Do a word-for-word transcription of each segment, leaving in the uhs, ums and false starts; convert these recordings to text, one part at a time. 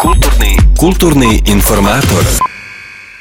Kulturni, kulturni informator.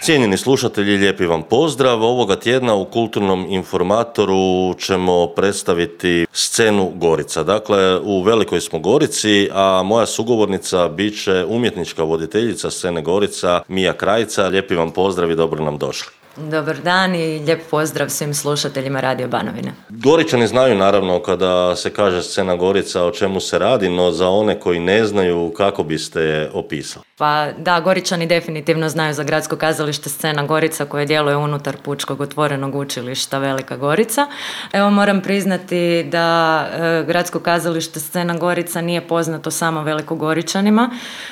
Cijenjeni slušatelji, lijepi vam pozdrav. Ovoga tjedna u Kulturnom informatoru ćemo predstaviti scenu Gorica. Dakle, u Velikoj smo Gorici, a moja sugovornica bit će umjetnička voditeljica scene Gorica, Mija Krajica. Lijepi vam pozdrav i dobro nam došli. Dobar dan i lijep pozdrav svim slušateljima Radio Banovine. Goričani znaju naravno kada se kaže scena Gorica o čemu se radi, no za one koji ne znaju, kako biste je opisali? Pa da, Goričani definitivno znaju za gradsko kazalište Scena Gorica koje djeluje unutar Pučkog otvorenog učilišta Velika Gorica. Evo moram priznati da e, gradsko kazalište Scena Gorica nije poznato samo Velikogoričanima,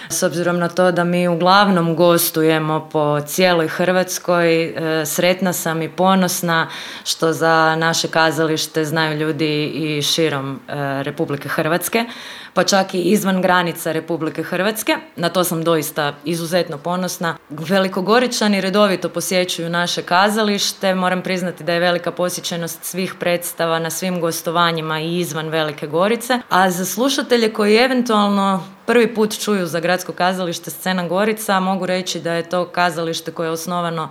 s obzirom na to da mi uglavnom gostujemo po cijeloj Hrvatskoj. E, sretna sam i ponosna što za naše kazalište znaju ljudi i širom e, Republike Hrvatske, pa čak i izvan granica Republike Hrvatske. Na to sam doista izuzetno ponosna. Velikogoričani redovito posjećuju naše kazalište. Moram priznati da je velika posjećenost svih predstava na svim gostovanjima i izvan Velike Gorice. A za slušatelje koji eventualno prvi put čuju za gradsko kazalište Scena Gorica, mogu reći da je to kazalište koje je osnovano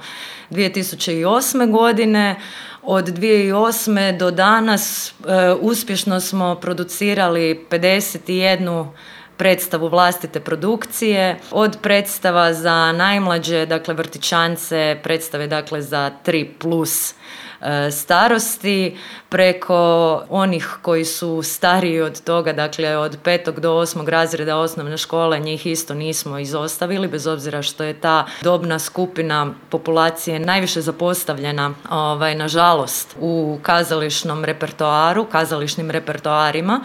dvije tisuće osme. godine. Od dvije tisuće osme. do danas e, uspješno smo producirali pedeset jednu predstavu vlastite produkcije, od predstava za najmlađe, dakle vrtićance, predstave dakle za tri plus e, starosti, preko onih koji su stariji od toga, dakle od petog do osmog razreda osnovne škole, njih isto nismo izostavili, bez obzira što je ta dobna skupina populacije najviše zapostavljena, ovaj, nažalost, u kazališnom repertoaru, kazališnim repertoarima,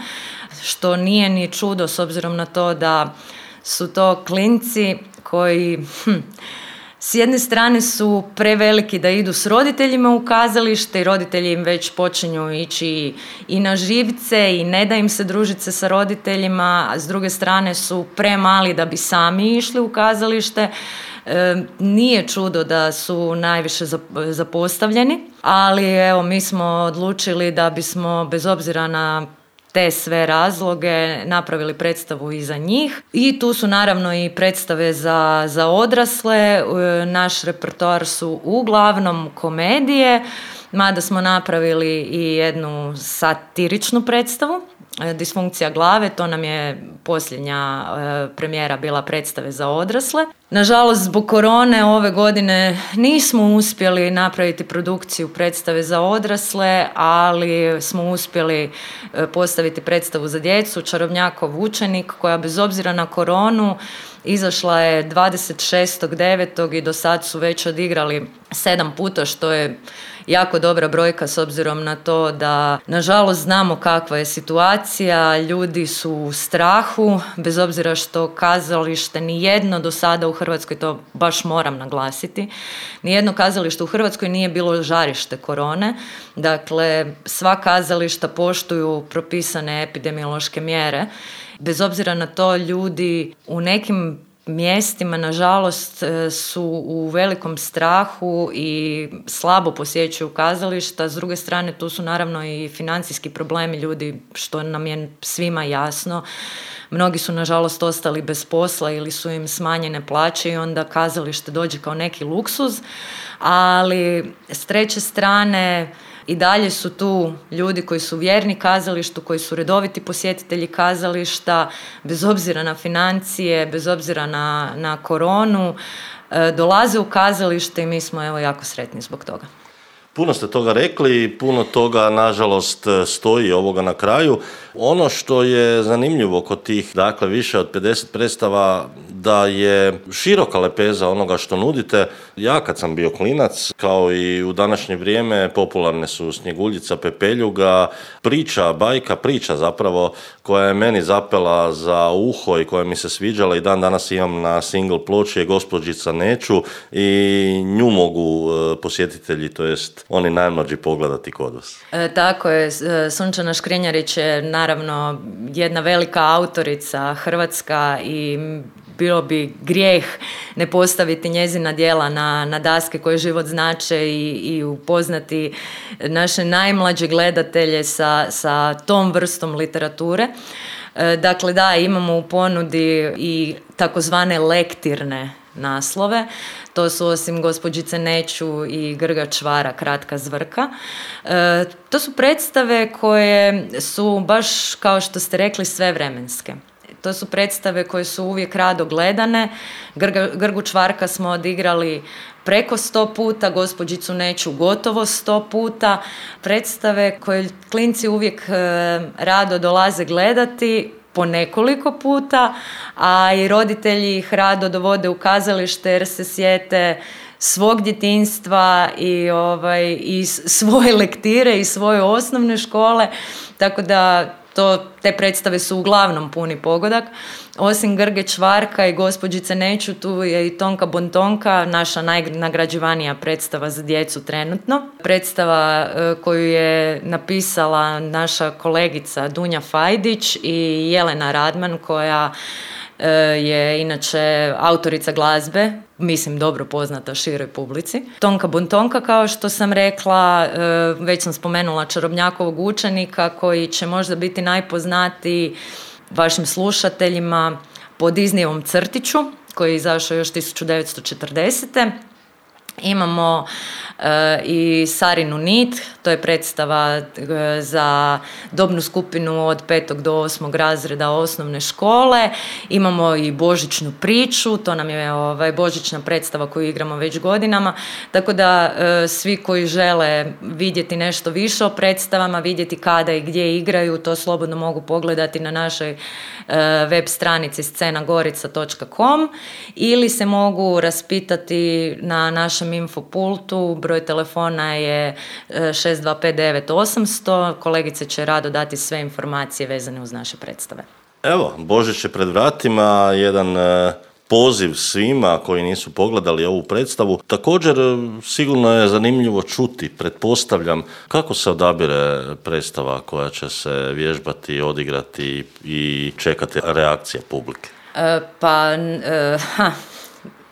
što nije ni čudo s obzirom na to da su to klinci koji hm, s jedne strane su preveliki da idu s roditeljima u kazalište i roditelji im već počinju ići i na živce i ne da im se družiti se sa roditeljima, a s druge strane su premali da bi sami išli u kazalište. E, nije čudo da su najviše zapostavljeni, ali evo mi smo odlučili da bismo bez obzira na te sve razloge napravili predstavu i za njih. I tu su naravno i predstave za, za odrasle. Naš repertoar su uglavnom komedije, mada smo napravili i jednu satiričnu predstavu, Disfunkcija glave, to nam je posljednja e, premijera bila predstave za odrasle. Nažalost, zbog korone ove godine nismo uspjeli napraviti produkciju predstave za odrasle, ali smo uspjeli e, postaviti predstavu za djecu, Čarobnjakov učenik, koja bez obzira na koronu izašla je dvadeset šestog devetog i do sad su već odigrali sedam puta, što je jako dobra brojka s obzirom na to da nažalost znamo kakva je situacija, ljudi su u strahu, bez obzira što kazalište nijedno do sada u Hrvatskoj, to baš moram naglasiti, nijedno kazalište u Hrvatskoj nije bilo žarište korone, dakle sva kazališta poštuju propisane epidemiološke mjere. Bez obzira na to, ljudi u nekim mjestima, nažalost, su u velikom strahu i slabo posjećuju kazališta. S druge strane, tu su naravno i financijski problemi ljudi, što nam je svima jasno. Mnogi su, nažalost, ostali bez posla ili su im smanjene plaće i onda kazalište dođe kao neki luksuz. Ali, s treće strane, i dalje su tu ljudi koji su vjerni kazalištu, koji su redoviti posjetitelji kazališta, bez obzira na financije, bez obzira na, na koronu, e, dolaze u kazalište i mi smo evo jako sretni zbog toga. Puno ste toga rekli, puno toga nažalost stoji ovoga na kraju. Ono što je zanimljivo kod tih, dakle više od pedeset predstava, da je široka lepeza onoga što nudite. Ja kad sam bio klinac, kao i u današnje vrijeme, popularne su Snjeguljica, Pepeljuga, priča, bajka, priča zapravo, koja je meni zapela za uho i koja mi se sviđala i dan danas imam na single ploči, je Gospođica Neću i nju mogu posjetitelji, to jest oni najmlađi pogledati kod vas. E, tako je, Sunčana Škrinjarić je naravno jedna velika autorica hrvatska i bilo bi grijeh ne postaviti njezina djela na, na daske koje život znače i, i upoznati naše najmlađe gledatelje sa, sa tom vrstom literature. Dakle, da, imamo u ponudi i takozvane lektirne naslove. To su osim Gospođice Neću i Grga Čvara, Kratka zvrka. E, to su predstave koje su baš, kao što ste rekli, svevremenske. To su predstave koje su uvijek rado gledane. Grga, Grgu Čvarka smo odigrali preko sto puta, Gospođicu Neću gotovo sto puta. Predstave koje klinci uvijek e, rado dolaze gledati po nekoliko puta, a i roditelji ih rado dovode u kazalište jer se sjete svog djetinjstva i, ovaj, i svoje lektire i svoje osnovne škole, tako da to, te predstave su uglavnom puni pogodak. Osim Grge Čvarka i Gospođice Neću, tu je i Tonka Bontonka, naša najnagrađivanija predstava za djecu trenutno. Predstava e, koju je napisala naša kolegica Dunja Fajdić i Jelena Radman, koja e, je inače autorica glazbe, mislim dobro poznata široj publici. Tonka Bontonka, kao što sam rekla, e, već sam spomenula Čarobnjakovog učenika, koji će možda biti najpoznatiji vašim slušateljima po Disneyovom Crtiću, koji je izašao još tisuću devetsto četrdesete. Imamo e, i Sarinu nit, to je predstava e, za dobnu skupinu od petog do osmog razreda osnovne škole. Imamo i Božićnu priču, to nam je ovaj, božićna predstava koju igramo već godinama, tako da e, svi koji žele vidjeti nešto više o predstavama, vidjeti kada i gdje igraju, to slobodno mogu pogledati na našoj e, web stranici scena gorica točka com ili se mogu raspitati na našem infopultu. Broj telefona je šest dva pet devet osam sto. Kolegice će rado dati sve informacije vezane uz naše predstave. Evo, Božić je pred vratima, jedan e, poziv svima koji nisu pogledali ovu predstavu. Također, sigurno je zanimljivo čuti, pretpostavljam, kako se odabire predstava koja će se vježbati, odigrati i čekati reakcije publike. E, pa, e, ha...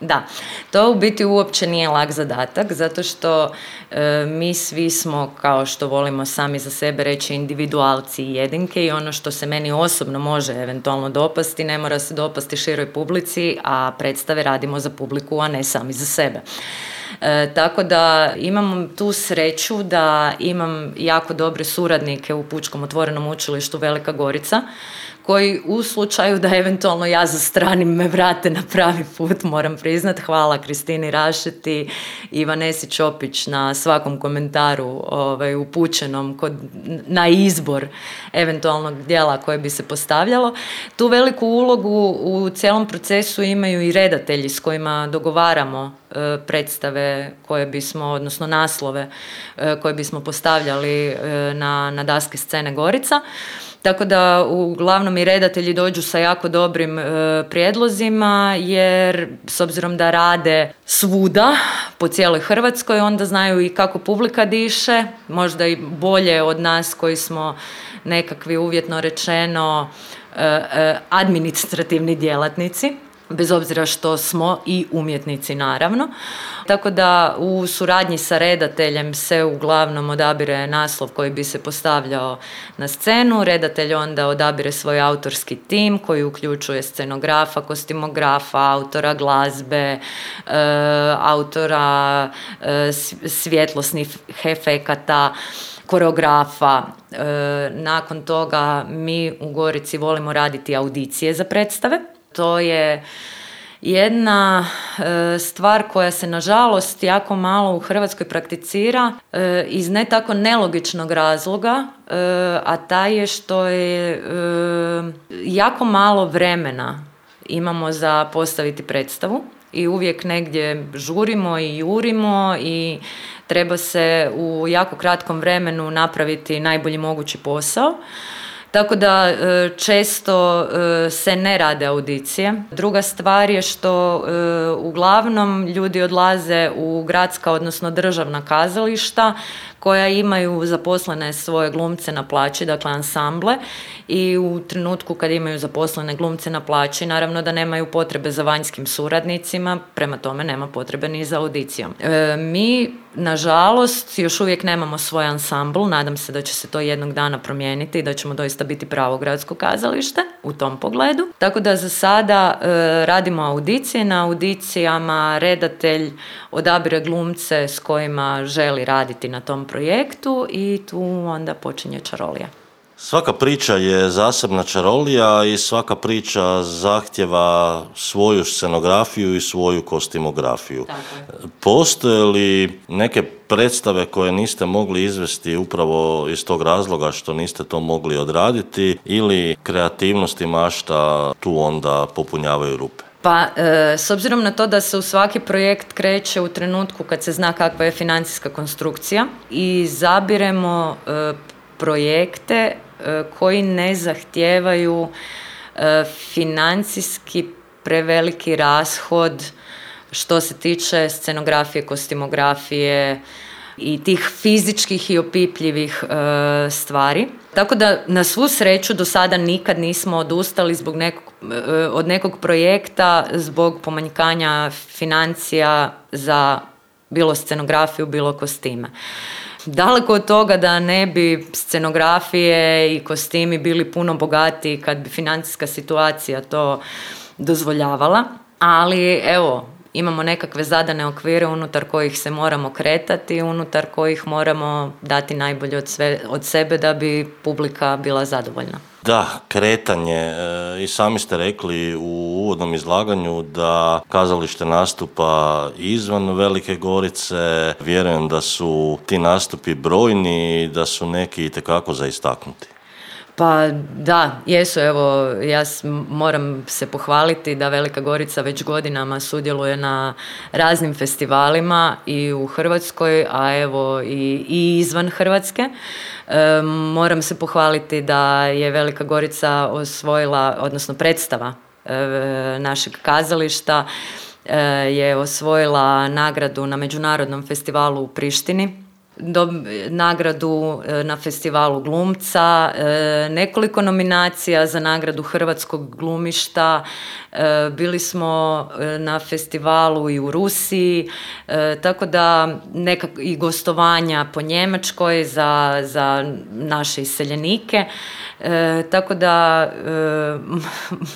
Da, to u biti uopće nije lak zadatak, zato što e, mi svi smo, kao što volimo sami za sebe reći, individualci i jedinke, i ono što se meni osobno može eventualno dopasti, ne mora se dopasti široj publici, a predstave radimo za publiku, a ne sami za sebe. E, tako da imam tu sreću da imam jako dobre suradnike u Pučkom otvorenom učilištu Velika Gorica, koji u slučaju da eventualno ja zastranim me vrate na pravi put, moram priznat. Hvala Kristini Rašeti i Vanesi Čopić na svakom komentaru ovaj, upućenom kod, na izbor eventualnog dijela koje bi se postavljalo. Tu veliku ulogu u cijelom procesu imaju i redatelji s kojima dogovaramo e, predstave koje bismo, odnosno naslove e, koje bismo postavljali e, na, na daske scene Gorica. Tako da uglavnom i redatelji dođu sa jako dobrim e, prijedlozima, jer s obzirom da rade svuda po cijeloj Hrvatskoj, onda znaju i kako publika diše, možda i bolje od nas koji smo nekakvi, uvjetno rečeno, e, e, administrativni djelatnici, bez obzira što smo i umjetnici naravno. Tako da u suradnji sa redateljem se uglavnom odabire naslov koji bi se postavljao na scenu. Redatelj onda odabire svoj autorski tim koji uključuje scenografa, kostimografa, autora glazbe, e, autora e, svjetlosnih efekata, koreografa. E, nakon toga mi u Gorici volimo raditi audicije za predstave. To je jedna e, stvar koja se nažalost jako malo u Hrvatskoj prakticira e, iz ne tako nelogičnog razloga, e, a taj je što je e, jako malo vremena imamo za postaviti predstavu i uvijek negdje žurimo i jurimo i treba se u jako kratkom vremenu napraviti najbolji mogući posao. Tako da često se ne rade audicije. Druga stvar je što uglavnom ljudi odlaze u gradska, odnosno državna kazališta koja imaju zaposlene svoje glumce na plaći, dakle ansamble, i u trenutku kad imaju zaposlene glumce na plaći, naravno da nemaju potrebe za vanjskim suradnicima, prema tome nema potrebe ni za audicijom. E, mi, nažalost, još uvijek nemamo svoj ansambl, nadam se da će se to jednog dana promijeniti i da ćemo doista biti pravo gradsko kazalište u tom pogledu. Tako da za sada e, radimo audicije, na audicijama redatelj odabire glumce s kojima želi raditi na tom projektu i tu onda počinje čarolija. Svaka priča je zasebna čarolija i svaka priča zahtjeva svoju scenografiju i svoju kostimografiju. Postoje li neke predstave koje niste mogli izvesti upravo iz tog razloga što niste to mogli odraditi ili kreativnost i mašta tu onda popunjavaju rupe? Pa, e, s obzirom na to da se u svaki projekt kreće u trenutku kad se zna kakva je financijska konstrukcija i zabiremo e, projekte e, koji ne zahtijevaju e, financijski preveliki rashod što se tiče scenografije, kostimografije i tih fizičkih i opipljivih e, stvari. Tako da na svu sreću do sada nikad nismo odustali zbog nekog, e, od nekog projekta zbog pomanjkanja financija za bilo scenografiju, bilo kostime. Daleko od toga da ne bi scenografije i kostimi bili puno bogatiji kad bi financijska situacija to dozvoljavala, ali evo, imamo nekakve zadane okvire unutar kojih se moramo kretati, unutar kojih moramo dati najbolje od, sve, od sebe da bi publika bila zadovoljna. Da, kretanje. I sami ste rekli u uvodnom izlaganju da kazalište nastupa izvan Velike Gorice. Vjerujem da su ti nastupi brojni i da su neki itekako za istaknuti. Pa da, jesu, evo, ja moram se pohvaliti da Velika Gorica već godinama sudjeluje na raznim festivalima i u Hrvatskoj, a evo i, i izvan Hrvatske. E, moram se pohvaliti da je Velika Gorica osvojila, odnosno predstava e, našeg kazališta e, je osvojila nagradu na Međunarodnom festivalu u Prištini. Do, nagradu na festivalu glumca, e, nekoliko nominacija za nagradu hrvatskog glumišta, e, bili smo na festivalu i u Rusiji, e, tako da nekak, i gostovanja po Njemačkoj za, za naše iseljenike, e, tako da e,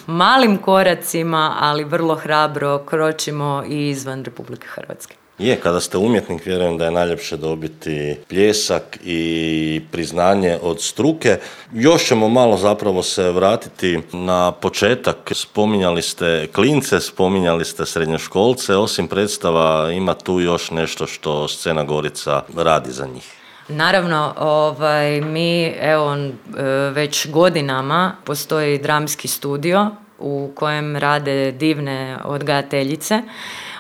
malim koracima, ali vrlo hrabro kročimo i izvan Republike Hrvatske. Je, kada ste umjetnik, vjerujem da je najljepše dobiti pljesak i priznanje od struke. Još ćemo malo zapravo se vratiti na početak. Spominjali ste klince, spominjali ste srednjoškolce. Osim predstava ima tu još nešto što Scena Gorica radi za njih. Naravno, ovaj, mi evo već godinama postoji dramski studio u kojem rade divne odgajateljice.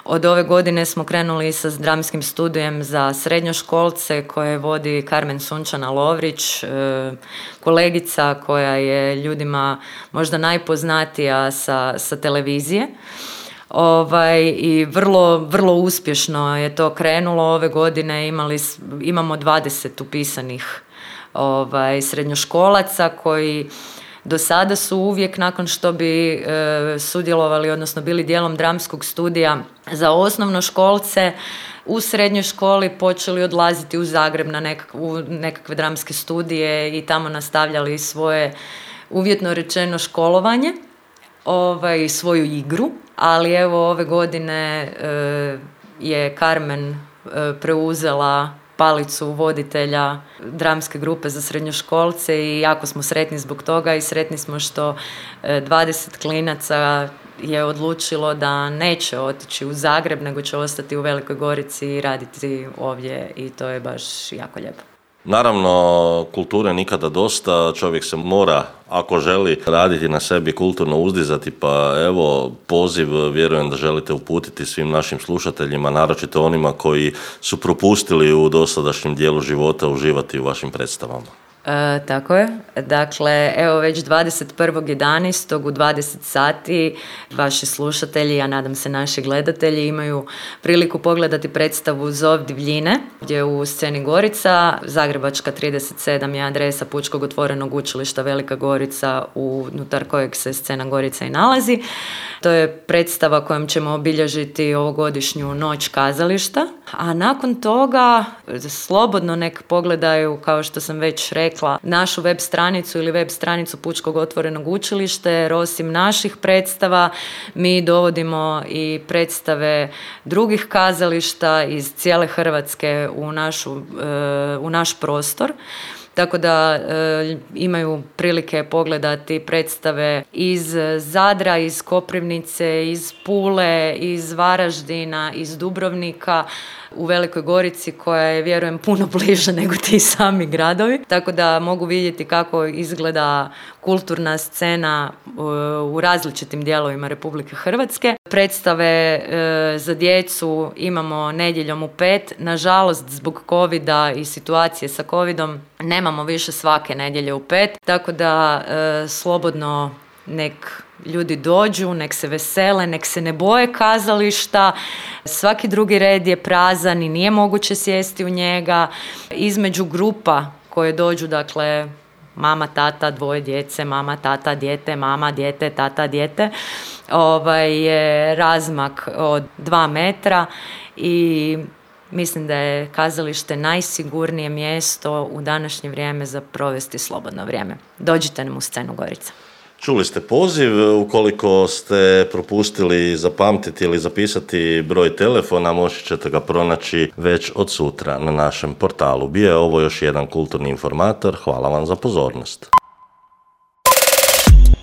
Od ove godine smo krenuli sa dramskim studijem za srednjoškolce koje vodi Karmen Sunčana Lovrić, kolegica koja je ljudima možda najpoznatija sa, sa televizije. Ovaj, i vrlo, vrlo uspješno je to krenulo. Ove godine imali, imamo dvadeset upisanih ovaj, srednjoškolaca koji do sada su uvijek nakon što bi e, sudjelovali, odnosno bili dijelom dramskog studija za osnovnoškolce, u srednjoj školi počeli odlaziti u Zagreb na nekak, u nekakve dramske studije i tamo nastavljali svoje, uvjetno rečeno, školovanje, ovaj, svoju igru. Ali evo ove godine e, je Karmen e, preuzela palicu voditelja dramske grupe za srednjoškolce i jako smo sretni zbog toga i sretni smo što dvadeset klinaca je odlučilo da neće otići u Zagreb, nego će ostati u Velikoj Gorici i raditi ovdje i to je baš jako lijepo. Naravno, kulture nikada dosta, čovjek se mora, ako želi, raditi na sebi, kulturno uzdizati, pa evo, poziv vjerujem da želite uputiti svim našim slušateljima, naročito onima koji su propustili u dosadašnjem dijelu života uživati u vašim predstavama. E, tako je. Dakle, evo već dvadeset prvog jedanaestog u dvadeset sati vaši slušatelji, ja nadam se naši gledatelji, imaju priliku pogledati predstavu Zov divljine, gdje u sceni Gorica, Zagrebačka trideset sedam je adresa Pučkog otvorenog učilišta Velika Gorica, unutar kojeg se scena Gorica i nalazi. To je predstava kojom ćemo obilježiti ovogodišnju noć kazališta, a nakon toga slobodno nek pogledaju, kao što sam već rekla, našu web stranicu ili web stranicu Pučkog otvorenog učilišta, jer osim naših predstava mi dovodimo i predstave drugih kazališta iz cijele Hrvatske u, našu, u naš prostor. Tako da e, imaju prilike pogledati predstave iz Zadra, iz Koprivnice, iz Pule, iz Varaždina, iz Dubrovnika, u Velikoj Gorici koja je, vjerujem, puno bliže nego ti sami gradovi. Tako da mogu vidjeti kako izgleda kulturna scena u različitim dijelovima Republike Hrvatske. Predstave e, za djecu imamo nedjeljom u pet. Nažalost, zbog covida i situacije sa covidom nemamo više svake nedjelje u pet. Tako da e, slobodno nek ljudi dođu, nek se vesele, nek se ne boje kazališta. Svaki drugi red je prazan i nije moguće sjesti u njega. Između grupa koje dođu, dakle, mama, tata, dvoje djece, mama, tata, dijete, mama, dijete, tata, dijete, ovaj, je razmak od dva metra i mislim da je kazalište najsigurnije mjesto u današnje vrijeme za provesti slobodno vrijeme. Dođite nam u scenu Gorica. Čuli ste poziv, ukoliko ste propustili zapamtiti ili zapisati broj telefona, možete ćete ga pronaći već od sutra na našem portalu. Bio je ovo još jedan kulturni informator, hvala vam za pozornost.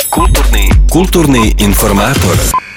Kulturni, kulturni informator.